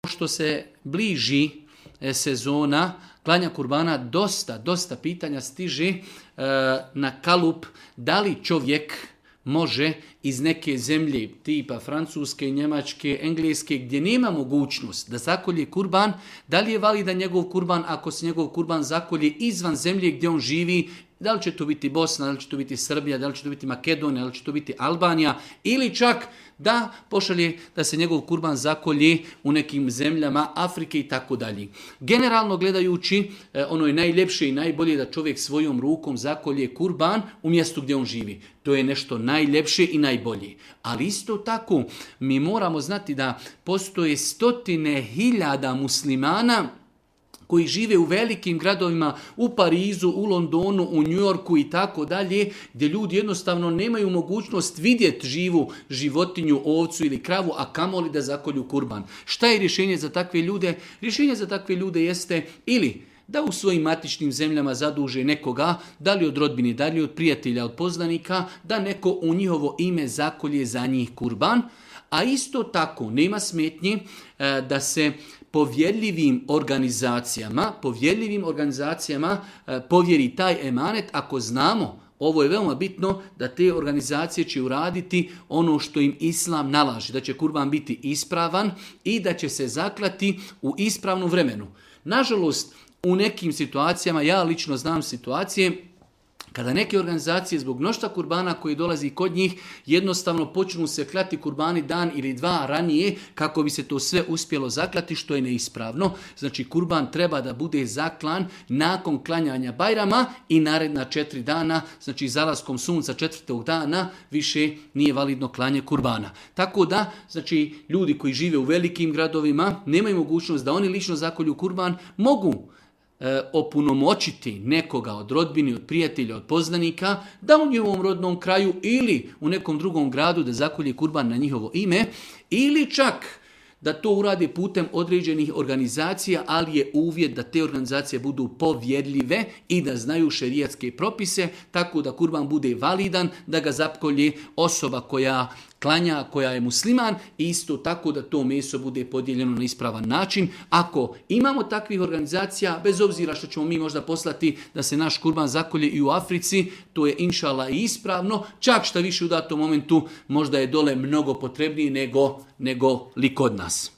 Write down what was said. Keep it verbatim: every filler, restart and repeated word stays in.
Što se bliži sezona klanja kurbana, dosta, dosta pitanja stiže e, na kalup da li čovjek može iz neke zemlje tipa Francuske, Njemačke, Engleske gdje nema mogućnost da zakolje kurban, da li je validan njegov kurban ako se njegov kurban zakolje izvan zemlje gdje on živi, da li će to biti Bosna, da li će to biti Srbija, da li će to biti Makedonija, da li će to biti Albanija ili čak da pošalje da se njegov kurban zakolje u nekim zemljama Afrike i tako dalje. Generalno gledajući, ono je najljepše i najbolje da čovjek svojom rukom zakolje kurban u mjestu gdje on živi. To je nešto najljepše i najbolje. Ali isto tako mi moramo znati da postoje stotine hiljada muslimana koji žive u velikim gradovima, u Parizu, u Londonu, u Njujorku i tako dalje, gdje ljudi jednostavno nemaju mogućnost vidjeti živu životinju, ovcu ili kravu, a kamoli da zakolju kurban. Šta je rješenje za takve ljude? Rješenje za takve ljude jeste ili da u svojim matičnim zemljama zaduže nekoga, da li od rodbine, da li od prijatelja, od poznanika, da neko u njihovo ime zakolje za njih kurban, a isto tako nema smetnji da se povjerljivim organizacijama, povjerljivim organizacijama povjeri taj emanet ako znamo, ovo je veoma bitno, da te organizacije će uraditi ono što im Islam nalaže, da će kurban biti ispravan i da će se zaklati u ispravnom vremenu. Nažalost, u nekim situacijama, ja lično znam situacije, kada neke organizacije zbog mnoštva kurbana koji dolazi kod njih jednostavno počnu se klati kurbani dan ili dva ranije kako bi se to sve uspjelo zaklati, što je neispravno. Znači kurban treba da bude zaklan nakon klanjanja Bajrama i naredna četiri dana, znači zalaskom sunca četvrtog dana više nije validno klanje kurbana. Tako da, znači ljudi koji žive u velikim gradovima nemaju mogućnost da oni lično zakolju kurban, mogu opunomoćiti nekoga od rodbine, od prijatelja, od poznanika, da u njihovom rodnom kraju ili u nekom drugom gradu da zakolje kurban na njihovo ime, ili čak da to urade putem određenih organizacija, ali je uvjet da te organizacije budu povjerljive i da znaju šerijatske propise, tako da kurban bude validan, da ga zakolje osoba koja klanja, koja je musliman, i isto tako da to meso bude podijeljeno na ispravan način. Ako imamo takvih organizacija, bez obzira što ćemo mi možda poslati da se naš kurban zakolje i u Africi, to je inšala i ispravno, čak šta više u datom momentu možda je dole mnogo potrebnije nego, nego li kod nas.